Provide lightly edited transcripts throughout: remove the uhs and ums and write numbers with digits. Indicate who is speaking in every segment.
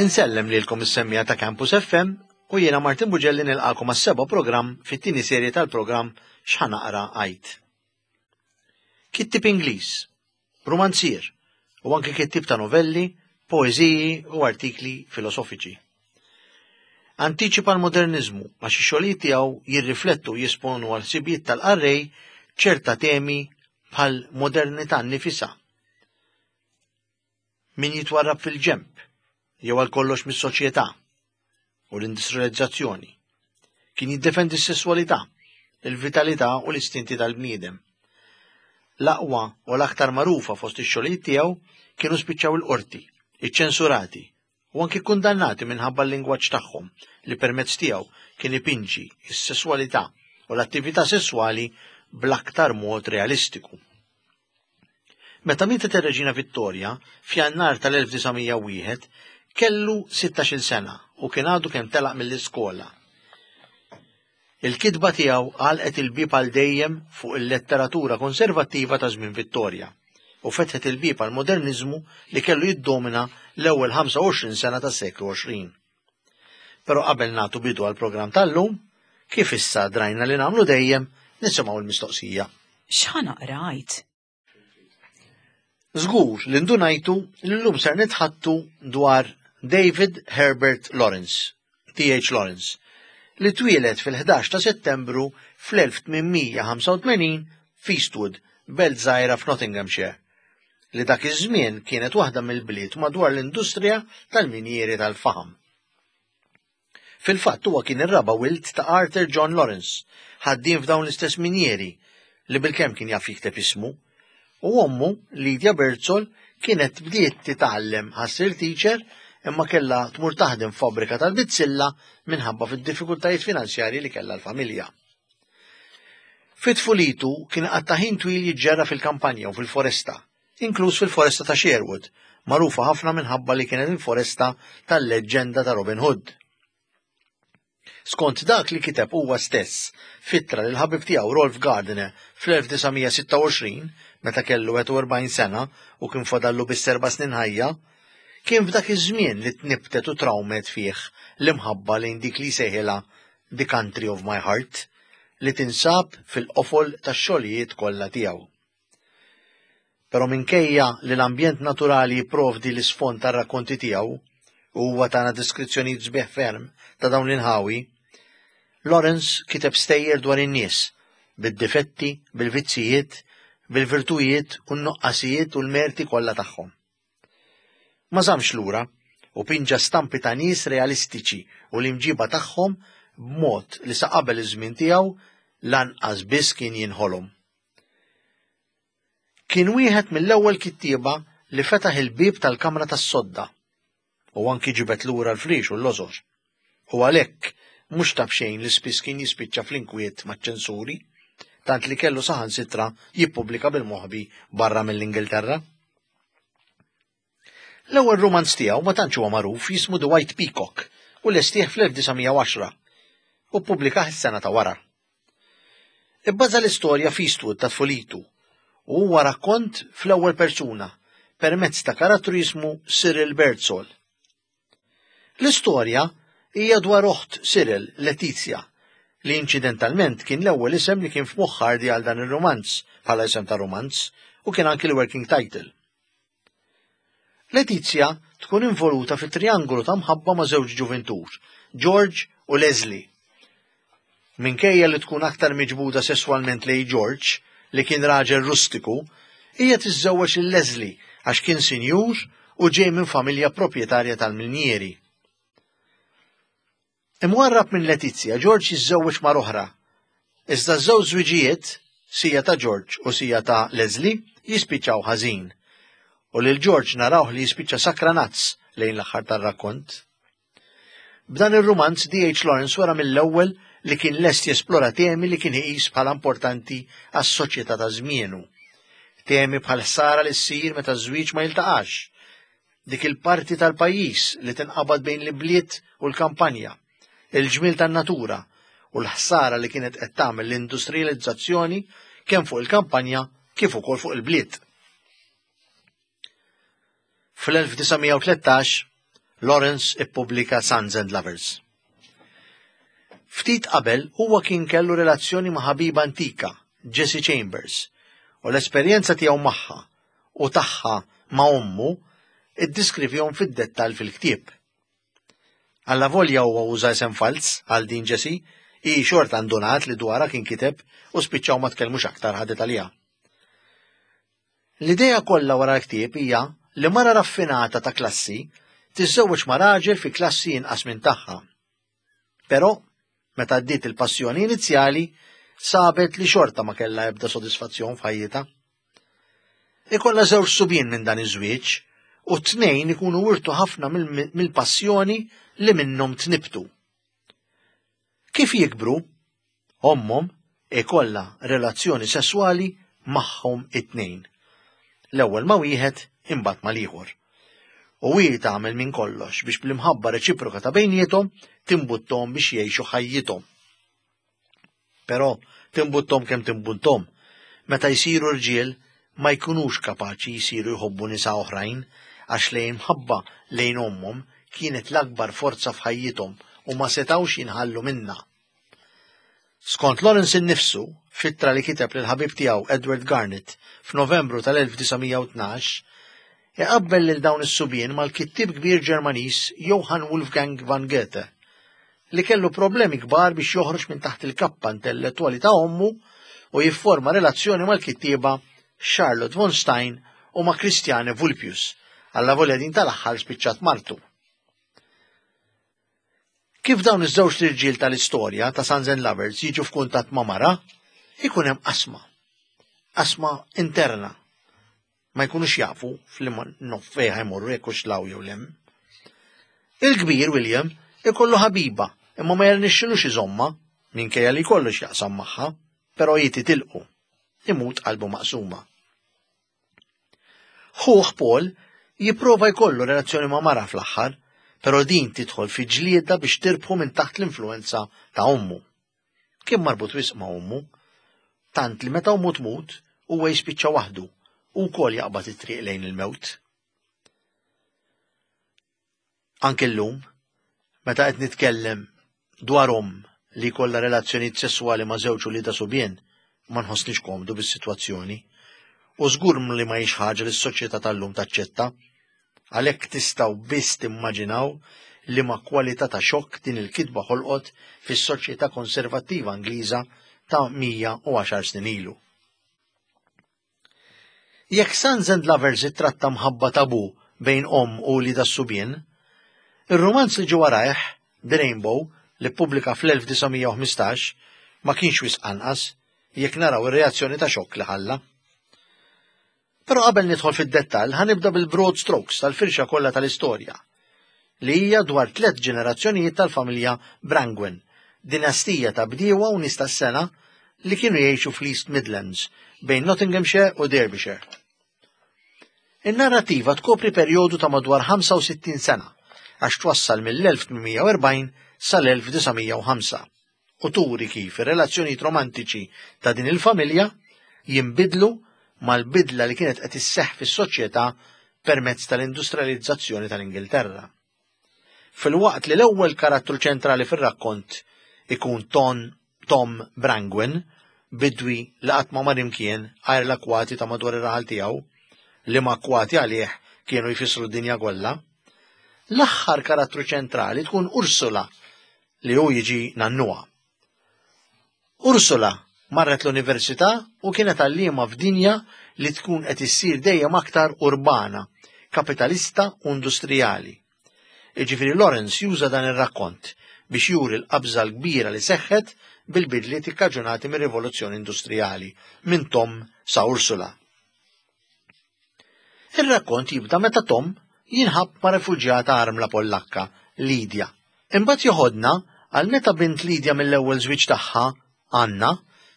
Speaker 1: Insellem lilkom is-semmiegħa ta' Campus FM u jiena Martin Bugelli nilqakom għas-seba' programm fit-tieni serje tal-programm X'ħa naqra għid. Kittib Ingliż, rumanzier u anke kittib ta' novelli, poeżiji u artikli filosofiċi. Antiċipa l-moderniżmu għax ix-xogħlijiet tiegħu jirriflettu u jesponu għal ħsibijiet tal-qarrej ċerta temi bħal modernità nnifisha, min jitwarrab fil-ġenb jew għal kollox mis-soċjetà u l-industrializzazzjoni. Kien jiddefendi s-sesswalità, il-vitalità u l-istinti tal-bniedem. L-aqwa u l-aktar magħrufa fost ix-xogħlijiet tiegħu kienu spiċċaw il-qorti, iċċensurati u anki kundannati minħabba l-lingwaġġ tagħhom li permezz tiegħu kien ipinġi s-sesswalità u l-attività sesswali bl-aktar mod realistiku. Meta mietet ir-Reġina Vittoria, f'Jannar tal-1901, kellu 16-il sena u kien għadu kemm telaq mill-iskola. Il-kitba tiegħu għalqet il-bieb għal dejjem fuq il-letteratura konservattiva ta' żmien Vittoria u fetħet il-bieb għall-moderniżmu li kellu jiddomina l-ewwel 25 sena tas-seklu 20. Però qabel nagħtu bidu għall-programm tal-lum, kif issa drajna li nagħmlu dejjem, nisimgħu l-mistoqsija.
Speaker 2: X'ħa naqra għid?
Speaker 1: Żgur li ndunajtu li llum ser nitħattu dwar David Herbert Lawrence, D.H. Lawrence, li twieled fil-11 ta' Settembru fl-1885 f'Eastwood, belt żgħira f'Nottinghamshire, li dak iż-żmien kienet waħda mill-bliet madwar l-industrija tal-minjieri tal-faħam. Fil-fatt huwa kien ir-raba' wild ta' Arthur John Lawrence, ħaddiem f'dawn l-istess minjieri, li bilkemm kien jaf jikteb ismu, u ommu, Lydia Birdsall, kienet bdiet titgħallem ħassir teacher imma kellha tmur taħdem f'fabbrika tal-bizzilla minħabba fid-diffikultajiet finanzjarji li kellha l-familja. Fi tfulitu kien iqatta' ħin twil jiġġerra fil-kampanja u fil-foresta, inkluż fil-foresta ta' Sherwood, magħrufa ħafna minħabba li kienet il-foresta tal-leġġenda ta' Robin Hood. Skont dak li kiteb huwa stess f'ittra lil ħabib tiegħu Rolf Gardiner fl-1926, meta kellu 41 sena u kien fadallu biss erba' snin ħajja, kien f'dak iż-żmien li tnibbtet u trawmet fih l-imħabba lejn dik li jsejħilha The Country of My Heart, li tinsab fil-qofol tax-xogħlijiet kollha tiegħu. Però minkejja li l-ambjent naturali jipprovdi l-isfond tar-rakkonti tiegħu, u huwa tana deskrizzjonijiet sbieħ ferm ta' dawn l-inħawi, Lawrence kiteb stejjer dwar in-nies, bid-difetti, bil-vizzjijiet, bil-virtujiet u n-nuqqasijiet u l-merti kollha tagħhom. Ma żammx lura u pinġa stampi ta' nies realistiċi u l-imġiba tagħhom b'mod li sa qabel iż-żmien tiegħu lanqas biss kien jinħolom. Kien wieħed mill-ewwel kittieba li fetaħ il-bieb tal-kamra tas-sodda u anki ġibed lura l-friex u l-lożor. U għalhekk mhux ta' b'xejn li spiss kien jispiċċa fl-inkwiet maċ-ċensuri, tant li kellu saħansitra jippubblika bil-moħbi barra mill-Ingilterra. L-ewwel rumanz tiegħu ma tantx huwa magħruf jismu The White Peacock u lestih fl-1910 u ppubblikah is-sena ta' wara. Ibbaża l-istorja f'Eastwood ta' tfulitu u huwa rakkont fl-ewwel persuna permezz ta' karattru jismu Cyril Birdsall. L-istorja hija dwar oħt Cyril, Letizia, li inċidentalment kien l-ewwel isem li kien f'moħħ Hardy għal dan ir-rumanz bħala isem ta' rumanz u kien anki l-working title. Letizia tkun involuta fi triangolu ta' mħabba ma' żewġ ġuvintur, George u Leslie. Minkejja li tkun aktar miġbuda sesswalment lej George, li kien raġel rustiku, hija tiżżewweġ lil Leslie għax kien sinjur u ġej minn familja proprjetarja tal-minjieri. Imwarrab minn Letizia, George jiżżewweġ mara oħra. Iżda ż-żewġ żwiġijiet, sija ta' George u sija ta' Leslie, jispiċċaw ħażin. U lil George narawh li jispiċċa sakranazz lejn l-aħħar tar-rakkont. B'dan ir-rumanz D.H. Lawrence wera mill-ewwel li kien lest jesplora temi li kien iqis bħala importanti għas-soċjetà ta' żmienu. Temi bħal ħsara li ssir meta ż-żwieġ ma jiltaqax, dik il-parti tal-pajjiż li tinqabad bejn l-ibliet u l-kampanja, il-ġmiel tan-natura u l-ħsara li kienet qed tagħmel l-industrijalizzazzjoni kemm fuq il-kampanja kif ukoll fuq il-bliet. Fl-1913, Lawrence ippubblika Sons and Lovers. Ftit qabel huwa kien kellu relazzjoni ma' ħabiba antika, Jessie Chambers, u l-esperjenza tiegħu magħha u tagħha ma' ommu iddiskrivihom fid-dettall fil-ktieb. Allavolja huwa uża isem falz għal din Jessie, hi xorta ndunat li dwarha kien kiteb u spiċċaw ma tkellmux aktar ħadet għaliha. L-idea kollha wara l-ktieb hija li mara raffinata ta' klassi tiżżewweġ ma' raġel fi klassi inqas minn tagħha. Però, meta għaddiet il-passjoni inizjali, sabet li xorta ma kellha ebda sodisfazzjon f'ħajjitha. Ikollha żewġ subien minn dan iż-żwieġ u t-tnejn ikunu wirtu ħafna mill-passjoni li minnhom tnibtu. Kif jikbru, ommhom ikollha relazzjoni sesswali magħhom it-tnejn. L-ewwel ma' wieħed imbagħad mal-ieħor. U hi tagħmel minn kollox biex bl-imħabba reċiproka ta' bejniethom timbutthom biex jgħixu ħajjithom. Però timbutthom kemm timbutthom, meta jsiru rġiel ma jkunux kapaċi jsiru jħobbu nisa oħrajn għax l-imħabba lejn ommhom kienet l-akbar forza f'ħajjithom u ma setgħux jinħallu minnha. Skont Lawrence innifsu, f'ittra li kiteb lill-ħabib tiegħu Edward Garnett f'Novembru tal-1912, iqabbel lil dawn is-subien mal-kittieb kbir Ġermaniż Johann Wolfgang van Goethe, li kellu problemi kbar biex joħroġ minn taħt il-kappa intellettwali ta' ommu u jifforma relazzjoni mal-kittieba Charlotte von Stein u ma' Christiane Vulpius, allavolja din tal-aħħar spiċċat martu. Kif dawn iż-żewġt irġiel tal-istorja ta' Sons and Lovers jiġu f'kuntatt ma' mara, ikun hemm qasma. Qasma interna. Ma jkunux jafu f'liema nof fejn ħajmorru jekk hux law jew lem. Il-kbir William ikollu ħabiba imma ma jirnexxilux iżomma minkejja li jkollu x'jaqsam magħha, però hi titilqu. Imut qalbu maqsuma. Ħuh Paul jipprova jkollu relazzjoni ma' mara fl-aħħar, però din tidħol fi ġlieda biex tirbħu minn taħt l-influwenza ta' ommu. Kien marbut wisq ma' ommu, tant li meta ommu tmut huwa jispiċċa waħdu u wkoll jaqbad it-triq lejn il-mewt. Anke llum, meta qed nitkellem dwar omm li jkollha relazzjonijiet sesswali ma' żewġ uliedha subien, ma nħossnix komdu bis-sitwazzjoni. U żgur li ma hix ħaġa li s-soċjetà tal-lum taċċetta. Għalhekk tistgħu biss timmaġinaw liema kwalità ta' xokk din il-kitba ħolqot fis-soċjetà konservattiva Ingliża ta' 110 snin ilu. Jekk Sons and Lovers ittratta mħabba tabù bejn omm u wliedha s-subien, ir-rumanz li ġie warajh, The Rainbow, li ppubblika fl-1915, ma kienx wisq anqas, jekk naraw ir-reazzjoni ta' xokk li ħalla. Però qabel nidħol fid-dettall ħa nibda bil-broad strokes tal-firxa kollha tal-istorja, li hija dwar tlett ġenerazzjonijiet tal-familja Brangwen, dinastija ta' bdiewa u nies tas-sengħa li kienu jgħixu fl-East Midlands, bejn Nottinghamshire u Derbyshire. In-narrattiva tkopri perjodu ta' madwar 65 sena, għax twassal mill-1840 sal-1905, u turi kif ir-relazzjonijiet romantiċi ta' din il-familja jinbidlu mal-bidla li kienet qed isseħħ fis-soċjetà permezz tal-industrializzazzjoni tal-Ingilterra. Filwaqt li l-ewwel karattru ċentrali fir-rakkont ikun Ton Tom Brangwen, bidwi li qatt ma mar imkien għajr l-akkwati ta' madwar ir-raħal tiegħu, liema akkwati għalih kienu jfissru d-dinja kollha. L-aħħar karattru ċentrali tkun Ursula li hu jiġi nannuha. Ursula marret l-università u kienet għalliema f'dinja li tkun qed issir dejjem aktar urbana, kapitalista u industrijali. Jiġifieri Lawrence juża dan ir-rakkont biex juri l-qabża l-kbira li seħħet bil-bidliet ikkaġunati mir-rivoluzzjoni industrijali minn Tom sa Ursula. Ir-rakkont jibda meta Tom jinħabb ma' refuġjata armla Pollakka, Lydia. Imbagħad joħodna għal meta bint Lydia mill-ewwel żwieġ tagħha, Anna,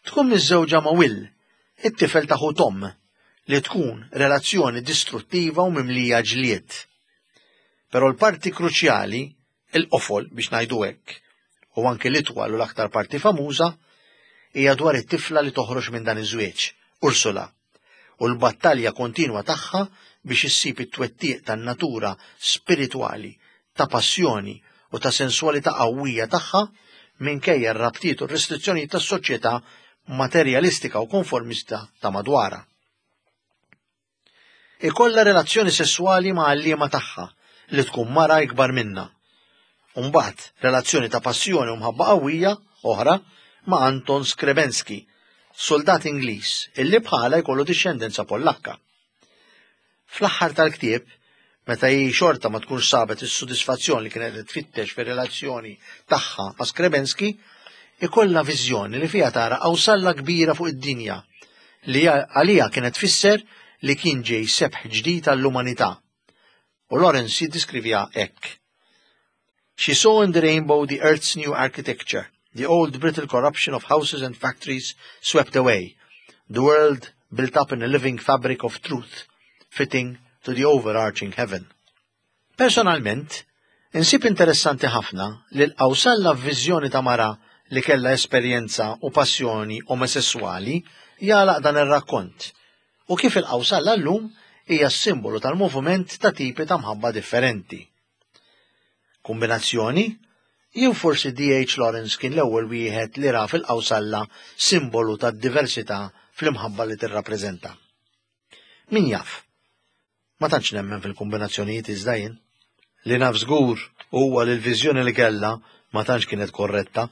Speaker 1: tkun miżżewġa ma' Will, it-tifel ta' ħu Tom, li tkun relazzjoni distruttiva u mimlija ġlied. Però l-parti kruċjali Il-qofol, biex ngħidu hekk, u anki l-itwal u l-aktar parti famuża, hija dwar it-tifla li toħroġ minn dan iż-żwieġ, Ursula, u l-battalja kontinwa tagħha biex issib it-twettiq tan-natura spiritwali, ta' passjoni u ta' senswalità qawwija tagħha minkejja r-rabtiet u r-restrizzjonijiet tas-soċjetà materjalistika u konformista ta' madwarha. Ikollha relazzjoni sesswali ma' għalliema tagħha li tkun mara ikbar minnha. U mbagħad relazzjoni ta' passjoni u mħabba qawwija oħra ma' Anton Skrebenski, suldat Ingliż illi bħala jkollu dixxendenza Pollakka. Fl-aħħar tal-ktieb, meta hi xorta ma tkunx sabet is-sodisfazzjon li kienet qed tfittex fir-relazzjoni tagħha ma' Skrebenski, ikollha viżjoni li fiha tara qawsalla kbira fuq id-dinja li għaliha kienet tfisser li kien ġej sebħ ġdid għall-umanità. U Lawrence jiddeskriviha hekk. She saw in the rainbow the earth's new architecture, the old brittle corruption of houses and factories swept away, the world built up in a living fabric of truth, fitting to the overarching heaven. Personalment, insib interessanti ħafna li l-qawsalla f'viżjoni ta' mara li kellha esperjenza u passjoni omosesswali jagħlaq dan ir-rakkont u kif il-qawsalla llum hija s-simbolu tal-moviment ta' tipi ta' mħabba differenti. Kumbinazzjoni? Jew forsi D.H. Lawrence kien l-ewwel wieħed li ra fil-qawsalla simbolu tad-diversità fl-imħabba li tirrappreżenta. Min jaf? Ma tantx nemmen fil-kumbinazzjonijiet iżda jien. Li naf żgur huwa li l-viżjoni li kellha ma tantx kienet korretta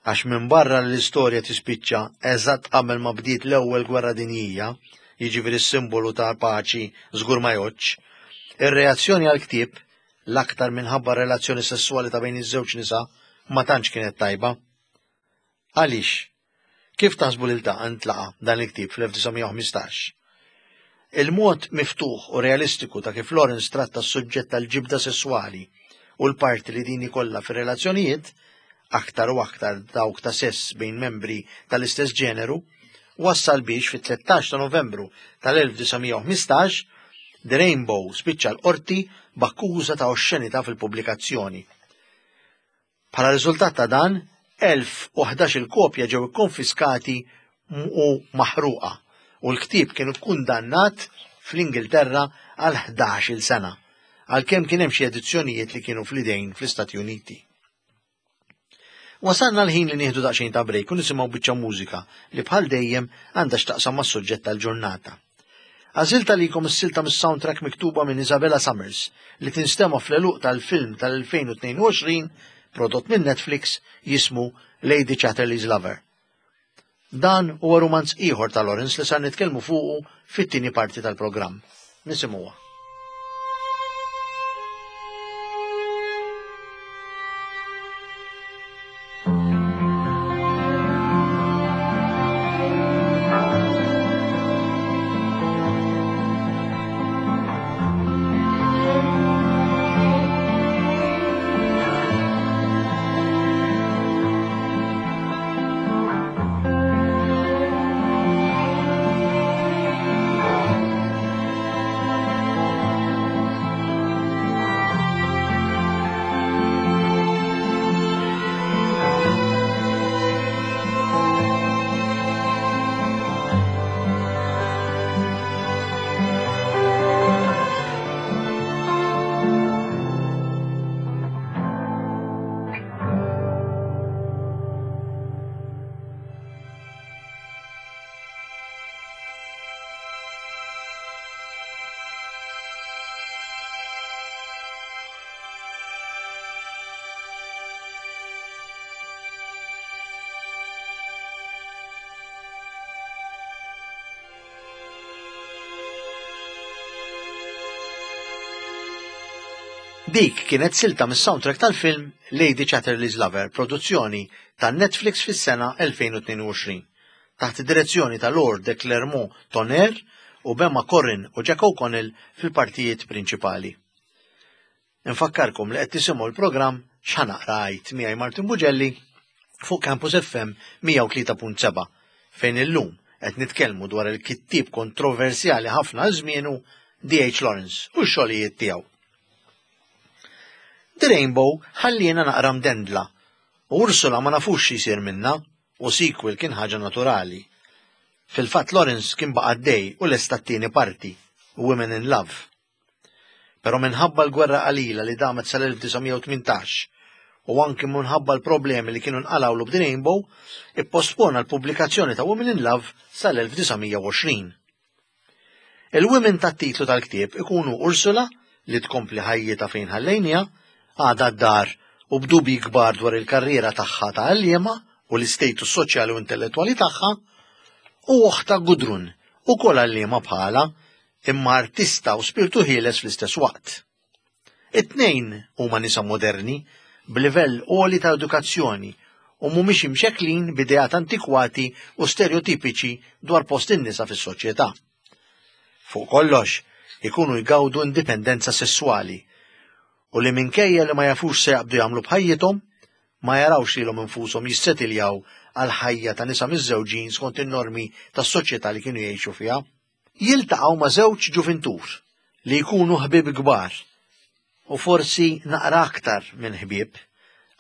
Speaker 1: għax minbarra li l-istorja tispiċċa eżatt qabel ma bdiet l-Ewwel Gwerra Dinjija, jiġifieri s-simbolu ta' paċi żgur ma jgħoddx, ir-reazzjoni għall-ktieb, l-aktar minħabba r-relazzjoni sesswali ta' bejn iż-żewġ nisa, ma tantx kienet tajba. Għaliex? Kif taħsbu li ltaqa' ntlaqa' dan il-ktieb fl-1915? Il-mod miftuħ u realistiku ta' kif Lawrence tratta s-suġġett tal-ġibda sesswali u l-parti li din ikollha fir-relazzjonijiet, aktar u aktar dawk ta' sess bejn membri tal-istess ġeneru, wassal biex fit-13 ta' Novembru tal-1915 The Rainbow spiċċa l-qorti b'akkuża ta' oxxenità fil-pubblikazzjoni. Bħala riżultat ta' dan, 1,011-il kopja ġew ikkonfiskati u maħruqa u l-ktieb kien ikkundannat fl-Ingilterra għal 11-il sena, għalkemm kien hemm xi edizzjonijiet li kienu fl-idejn fl-Istati Uniti. Wasalna l-ħin li nieħdu daqsxejn ta' break u nisimgħu biċċa mużika li bħal dejjem għandha x'taqsam mas-suġġett tal-ġurnata. Għażilt għalikom is-silta mis-soundtrack miktuba minn Isabella Summers li tinstema' fl-għeluq tal-film tal-2022 prodott minn Netflix jismu Lady Chatterley's Lover. Dan huwa rumanz ieħor ta' Lawrence li sar nitkellmu fuqu fit-tieni parti tal-programm. Nisimgħuha. Dik kienet silta mis-soundtrack tal-film Lady Chatterley's Lover, produzzjoni ta' Netflix fis-sena 2022. Taħt id-direzzjoni ta' Lord de Clermont Tonnerre u b'Emma Corrin u Jack O'Connell fil-partijiet prinċipali. Infakkarkom li qed tisimgħu l-programm X'Ħa Naqra Għid miegħi Martin Bugelli fuq Campus FM 103.7 fejn illum qed nitkellmu dwar il-kittieb kontroversjali ħafna għal żmienu D.H. Lawrence u x-xogħlijiet tiegħu. The Rainbow ħalliena naqra mdendla u Ursula ma nafux xi jsir minnha u sequel kien ħaġa naturali. Fil-fatt Lawrence kien baqa' għaddej u lesta t-tieni parti, Women in Love. Però minħabba l-gwerra qalila li damet sal-1918 u anki minħabba l-problemi li kienu nqalgħulu b'The Rainbow, ippospona l-pubblikazzjoni ta' Women in Love sal-1920. Il-women tat-titlu tal-ktieb ikunu Ursula, li tkompli ħajjitha fejn ħallejniha, għadha d-dar u b'dubji kbar dwar il-karriera tagħha ta' għalliema u l-istatus soċjali u intellettwali tagħha, u oħtha Gudrun, ukoll għalliema bħalha, imma artista u spirtu ħieles fl-istess waqt. It-tnejn huma nisa moderni, b'livell għoli ta' edukazzjoni u mhumiex imxekklin b'ideat antikwati u stereotipiċi dwar post in-nisa fis-soċjetà. Fuq kollox, ikunu jgawdu indipendenza sesswali u li minkejja li ma jafux se jaqbdu jagħmlu b'ħajjithom, ma jarawx lilhom infushom jissetiljaw għal ħajja ta' nisa miżżewġin skont in-normi tas-soċjetà li kienu jgħixu fiha. Jiltaqgħu ma' żewġ ġuvintur li jkunu ħbieb kbar u forsi naqra aktar minn ħbieb,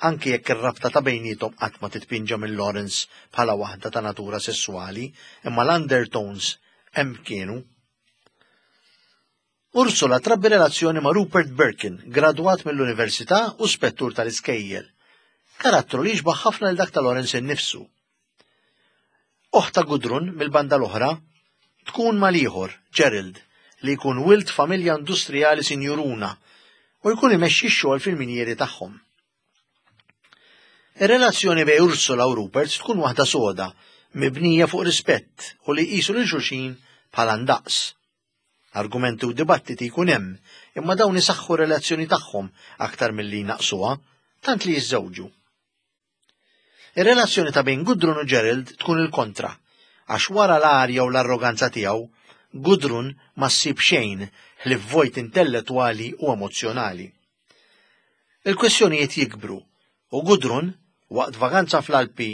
Speaker 1: anki jekk ir-rabta ta' bejniethom qatt ma titpinġa minn Lawrence bħala waħda ta' natura sesswali, imma l-undertones hemm kienu. Ursula trabbi relazzjoni ma' Rupert Birkin, gradwat mill-università u spettur tal-iskejjel. Karattru li jixbaħ ħafna lil dak ta' Lawrence innifsu. Oħta Gudrun, mill-banda l-oħra, tkun mal-ieħor, Gerald, li jkun wild familja industrijali sinjuruna u jkun imexxi x-xogħol fil-minjieri tagħhom. Ir-relazzjoni bejn Ursula u Rupert tkun waħda soda, mibnija fuq rispett u li jqisu lil xulxin bħala ndaqs. Argumenti u dibattiti jkun hemm, imma dawn isaħħu r-relazzjoni tagħhom aktar milli jnaqqsuha, tant li jiżżewġu. Ir-relazzjoni ta' bejn Gudrun u Gerald tkun il-kontra, għax wara l-arja u l-arroganza tiegħu, Gudrun ma ssib xejn ħlief vojt intellettwali u emozzjonali. Il-kwistjonijiet jikbru u Gudrun, waqt vaganza fl-Alpi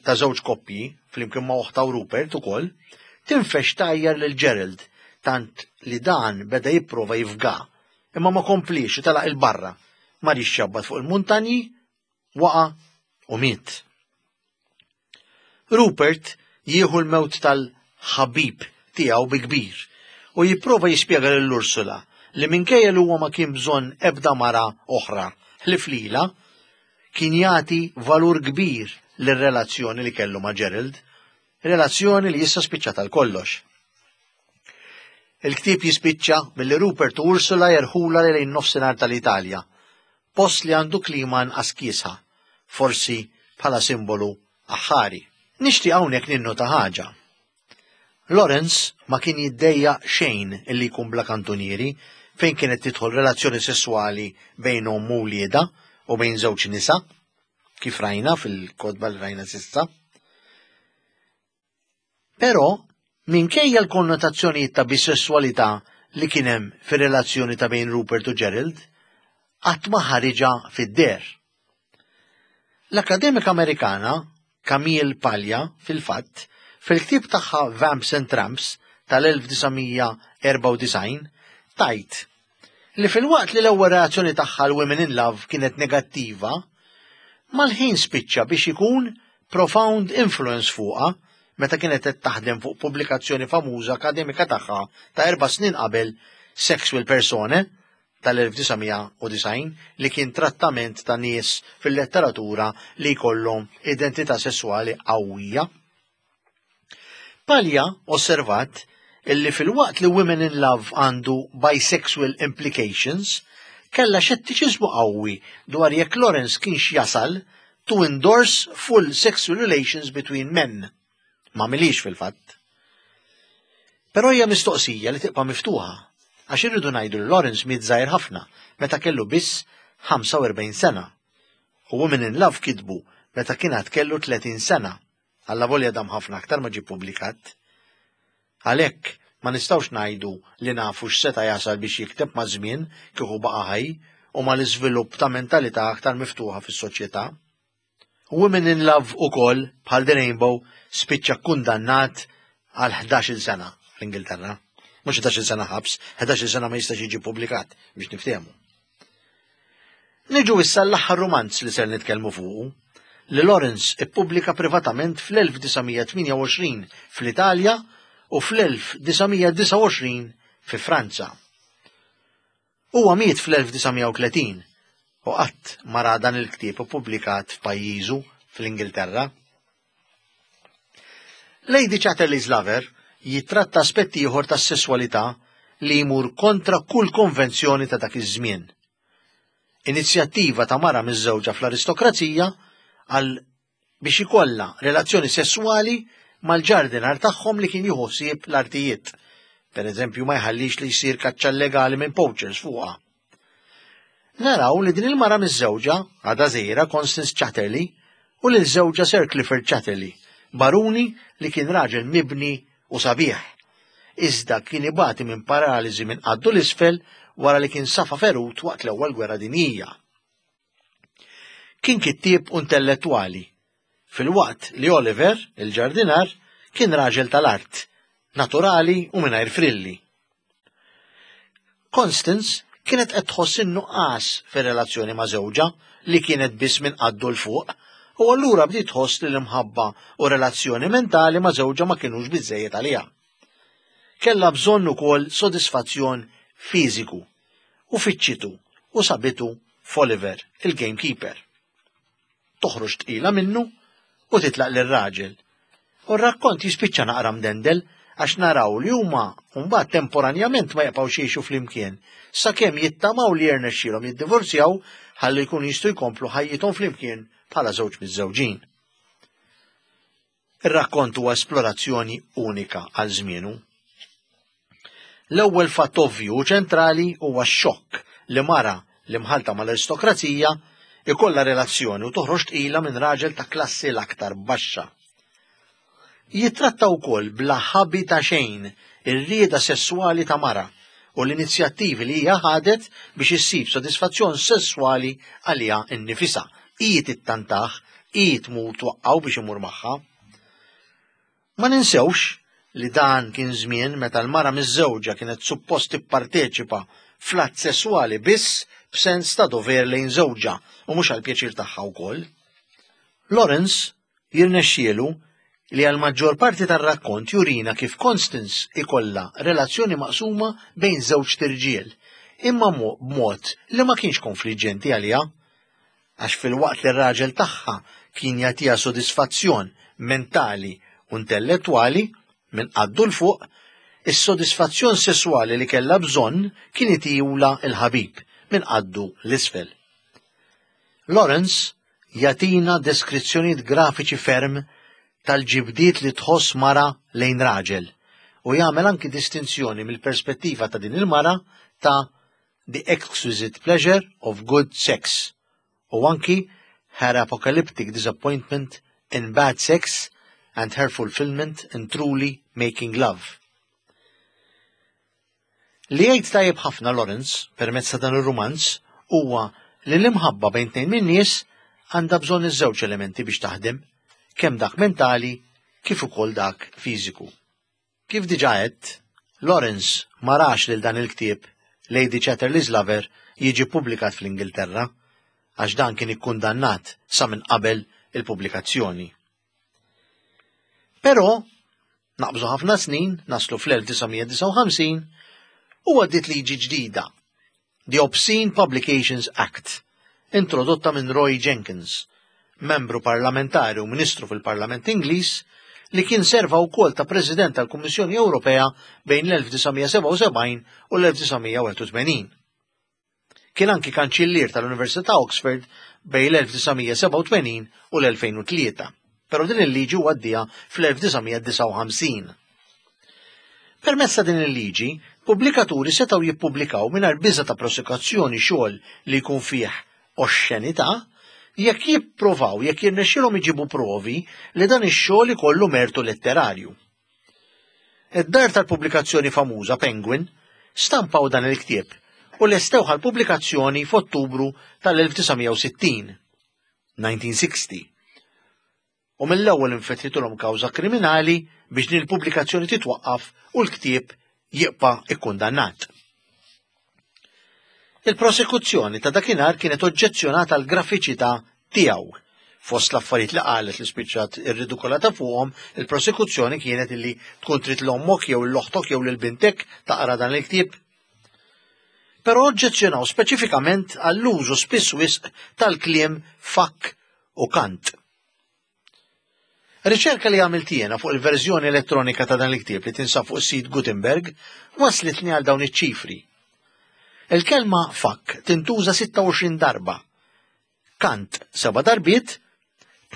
Speaker 1: ta' żewġ koppji, flimkien ma' oħtha u Rupert ukoll, tinfex tgħajjar lil Gerald tant li dan beda jipprova jifga, imma ma kompliex u telaq 'il barra, mar jixxabbat fuq il-muntanji, waqa' u miet. Rupert jieħu l-mewt tal-ħabib tiegħu bi kbir u jipprova jispjega lil Ursula li minkejja li huwa ma kien bżonn ebda mara oħra ħlief lilha, kien jagħti valur kbir lir-relazzjoni li kellu ma' Gerald, relazzjoni li issa spiċċat għal kollox. Il-ktieb jispiċċa billi Rupert u Ursula jerħulha lejn nofsinhar tal-Italja, post li għandu klima anqas kiesħa, forsi bħala simbolu aħħari. Nixtieq hawnhekk ninnota ħaġa. Lawrence ma kien jiddejjaq xejn illi jkun bla kantunieri fejn kienet tidħol relazzjoni sesswali bejn omm u wliedha u bejn żewġ nisa, kif rajna fil-kotba li rajna s'issa. Però, minkejja l-konnotazzjonijiet ta' bisesswalità li kien hemm fir-relazzjoni ta' bejn Rupert u Gerald, qatt ma ħariġha fid-deher. L-akkademika Amerikana Camille Paglia, fil-fatt, fil-ktieb tagħha Vamps and Tramps tal-1994, tgħid li filwaqt li l-ewwel reazzjoni tagħha għal Women in Love kienet negattiva, mal-ħin spiċċa biex ikun profound influence fuqha meta kienet qed taħdem fuq pubblikazzjoni famuża akademika tagħha ta' erba' snin qabel Sexual Persone tal-1990 li kien trattament ta' nies fil-letteratura li jkollhom identità sesswali qawwija. Paglia osservat illi filwaqt li Women in Love għandu bisexual implications, kellha xettiċiżmu qawwi dwar jekk Lawrence kienx jasal to endorse full sexual relations between men. Ma milix fil-fatt. Però hija mistoqsija li tibqa' miftuħa, għax irridu ngħidu li Lawrence miet żgħir ħafna meta kellu biss 45 sena. U Women in Love kitbu meta kien għad kellu 30 sena. Allavolja dam ħafna aktar ma ġie ppubblikat. Għalhekk, ma nistgħux ngħidu li nafu x'seta' jasal biex jikteb maż-żmien kieku baqa' ħaj u mal-iżvilupp ta' mentalità aktar miftuħa fis-soċjetà. Women in Love ukoll, bħal The Rainbow, spiċċa kkundannat għal 11-il sena fl-Ingilterra. Mhux 11-il sena ħabs, 11-il sena ma jistax jiġi ppubblikat biex niftehmu. Niġu issa l-aħħar rumanz li ser nitkellmu fuqu, li Lawrence ippubblika privatament fl-1928 fl-Italja u fl-1929 fi Franza. Huwa miet fl-1930 u qatt ma ra dan il-ktieb ippubblikat f'pajjiżu fl-Ingilterra. Lady Chatterley's Lover jittratta aspett ieħor tas-sesswalità li jmur kontra kull konvenzjoni ta' dak iż-żmien. Inizjattiva ta' mara miżżewġa fl-aristokrazija għal biex ikollha relazzjoni sesswali mal-ġardinar tagħhom li kien jieħu ħsieb l-artijiet. Per eżempju, ma jħallix li jsir kaċċa llegali minn poachers fuqha. Naraw li din il-mara miżżewġa, għadha żgħira Constance Chatterley, u lil żewġha Sir Clifford Chatterley, baruni li kien raġel mibni u sabiħ. Iżda kien ibati minn paraliżi minn qaddu l-isfel wara li kien safa ferut waqt l-Ewwel Gwerra Dinjija. Kien kittieb u intellettwali, filwaqt li Oliver, il-ġardinar, kien raġel tal-art, naturali u mingħajr frilli. Constance kienet qed tħoss in-nuqqas fir-relazzjoni ma' żewġha li kienet biss minn qaddu 'l fuq u allura bdiet tħoss li l-imħabba u relazzjoni mentali ma' żewġha ma kinux biżżejjed għaliha. Kellha bżonn ukoll sodisfazzjon fiżiku u fittxitu u sabitu f'Oliver, il-gamekeeper. Toħroġ tqila minnu u titlaq lir-raġel. U r-rakkont jispiċċa naqra mdendel għax naraw li huma mbagħad temporanjament ma jibqgħux jgħixu flimkien sakemm jittamaw li jirnexxielhom jiddivorzjaw ħalli jkunu jistgħu jkomplu ħajjithom flimkien bħala żewġ miżżewġin. Ir-rakkont huwa esplorazzjoni unika għal żmienu. L-ewwel fatt ovvju u ċentrali huwa x-xokk li mara li mħallta mal-aristokrazija ikollha relazzjoni u toħroġ tqila minn raġel ta' klassi l-aktar baxxa. Jittratta wkoll bla ħabi ta' xejn ir-rieda sesswali ta' mara u l-inizjattivi li hija ħadet biex issib sodisfazzjon sesswali għaliha nnifisha. Hi tittantah, hi tmur twaqqgħu biex imur magħha. Ma ninsewx li dan kien żmien meta l-mara miżżewġa kienet suppost tipparteċipa fl-att sesswali biss b'sens ta' dover lejn żewġha u mhux għall-pjaċir tagħha wkoll. Lawrence Jirnexxielu li għall-maġġor parti tar-rakkont jurina kif Constance ikollha relazzjoni maqsuma bejn żewġt irġiel, imma b'mod li ma kienx konfliġġenti għaliha. Għax filwaqt li r-raġel tagħha kien jagħtiha sodisfazzjon mentali u intellettwali, minn qaddu 'l fuq, is-sodisfazzjon sesswali li kellha bżonn kien itihulha l-ħabib, minn qaddu 'l isfel. Lawrence jagħtina deskrizzjonijiet grafiċi ferm tal-ġibdiet li tħoss mara lejn raġel u jagħmel anki distinzjoni mill-perspettiva ta' din il-mara ta' The Exquisite Pleasure of Good Sex u anki Her Apocalyptic Disappointment in Bad Sex and Her Fulfillment in Truly Making Love. Li jgħid tajjeb ħafna Lawrence permezz ta' dan ir-rumanz huwa li l-imħabba bejn tnejn min-nies għandha bżonn iż-żewġ elementi biex taħdem, kemm dak mentali kif ukoll dak fiżiku. Kif diġà għedt, Lawrence ma rax lil dan il-ktieb Lady Chatterley's Lover jiġi ppubblikat fl-Ingilterra għax dan kien ikkundannat sa minn qabel il-pubblikazzjoni. Però, naqbżu ħafna snin, naslu fl-1959, u għaddiet liġi ġdida, The Obscene Publications Act, introdotta minn Roy Jenkins, membru parlamentari u ministru fil-Parlament Ingliż li kien serva wkoll ta' President tal-Kummissjoni Ewropea bejn l-1977 u l-1981. Kien anki kanċillier tal-Università Oxford bejn l-1987 u l-2003, però din il-liġi huwa għaddieha fl-1959. Permezz ta' din il-liġi, pubblikaturi setgħu jippubblikaw mingħajr biża' ta' prosekuzzjoni xogħol li jkun fih oxxenità jekk jipprovaw jekk jirnexxilhom iġibu provi li dan ix-xogħol ikollu mertu letterarju. Id-dar tal-pubblikazzjoni famuża Penguin stampaw dan il-ktieb u lestewh għall-pubblikazzjoni f'Ottubru tal-1960, 1960. U mill-ewwel infetħitulhom kawża kriminali biex din il-pubblikazzjoni titwaqqaf u l-ktieb jibqa' ikkundannat. Il-prosekuzzjoni ta' dakinhar kienet oġġezzjonata għall-grafiċità tiegħu. Fost l-affarijiet li qalet li spiċċat irridikolata fuqhom, il-prosekuzzjoni kienet illi tkun trid l-ommok jew l-oħtok jew lil bintek taqra dan il-ktieb. Però oġġezzjonaw speċifikament għall-użu spiss wisq tal-kliem fuck u cunt. Riċerka li għamilt jiena fuq il-verżjoni elettronika ta' dan il-ktieb li tinsab fuq is-sit Gutenberg waslitni għal dawn iċ-ċifri. Il-kelma fuck tintuża 26 darba, cunt seba' darbiet,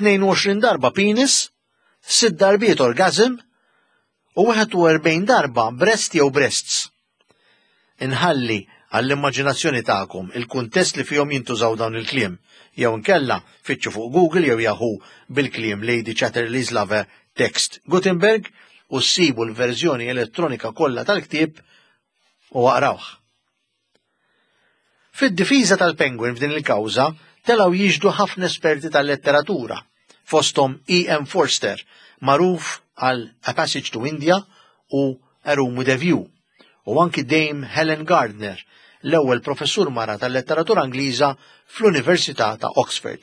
Speaker 1: 22 darba penis, sitt darbiet orgasm u 41 darba breast jew breasts. Inħalli għall-immaġinazzjoni tagħkom il-kuntest li fihom jintużaw dawn il-kliem, jew inkella fittxu fuq Google jew Yahoo bil-kliem Lady Chatterley's Lover Text Gutenberg u ssibu l-verżjoni elettronika kollha tal-ktieb u aqrawh. Fid-difiża tal-Penguin f'din il-kawża telgħu jixhdu ħafna esperti tal-letteratura, fosthom E. M. Forster, magħruf għal A Passage to India u A Room with a View, u anki Dame Helen Gardner, l-ewwel professur mara tal-letteratura Ingliża fl-Università ta' Oxford.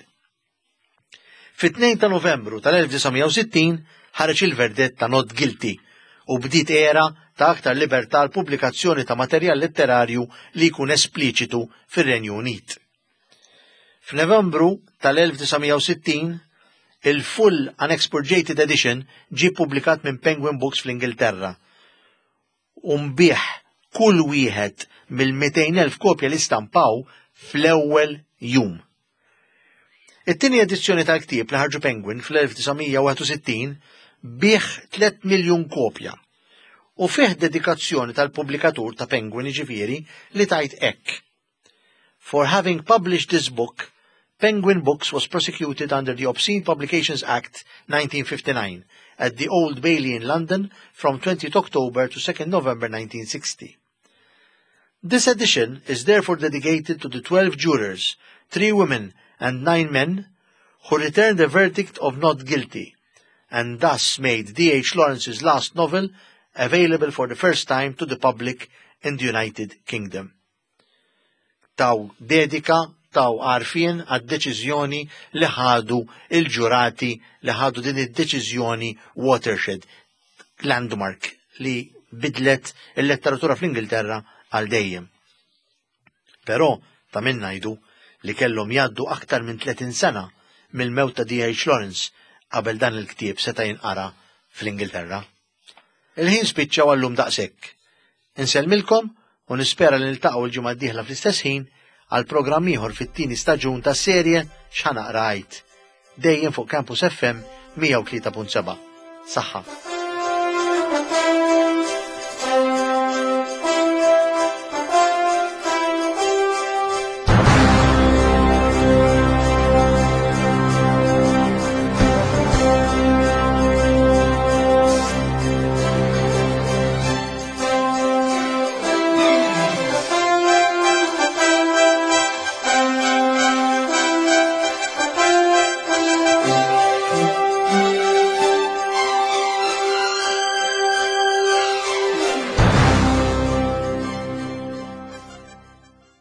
Speaker 1: Fit-2 ta' Novembru tal-1960 ħareġ il-verdett ta' not guilty u bdiet era ta' aktar libertà għal pubblikazzjoni ta' materjal letterarju li jkun espliċitu fir-Renju Unit. F'Novembru tal-1960, il-Full Unexpurgated Edition ġie ppubblikat minn Penguin Books fl-Ingilterra u nbiegħ kull wieħed mill-200,000 kopja li stampaw fl-ewwel jum. It-tieni edizzjoni tal-ktieb li ħarġu Penguin fl-1961 biegħ 3 miljun kopja u fih dedikazzjoni tal-pubblikatur ta' Penguin jiġifieri li tgħid hekk. For having published this book, Penguin Books was prosecuted under the Obscene Publications Act 1959 at the Old Bailey in London from 20 October to 2 November 1960. This edition is therefore dedicated to the 12 jurors, 3 women and 9 men, who returned a verdict of not guilty, and thus made D.H. Lawrence's last novel available for the first time to the public in the United Kingdom. Taw dedika, taw għarfien għad-deċiżjoni li ħadu il-ġurati li ħadu din id-deċiżjoni watershed, landmark li bidlet il-letteratura fl-Ingilterra għal dejjem. Però ta' min ngħidu li kellhom jgħaddu aktar minn 30 sena mill-mewt ta' D.H. Lawrence qabel dan il-ktieb seta' jinqara fl-Ingilterra. Il-ħin spiċċa u għallum daqshekk. Insellmilkom u nispera li niltaqgħu l-ġimgħa d-dieħla fl-istess ħin għal programm ieħor fit-tieni staġun tas-serje X'Ħa Naqra Għid. Dejjem fuq Campus FM 103.7. Saħħa.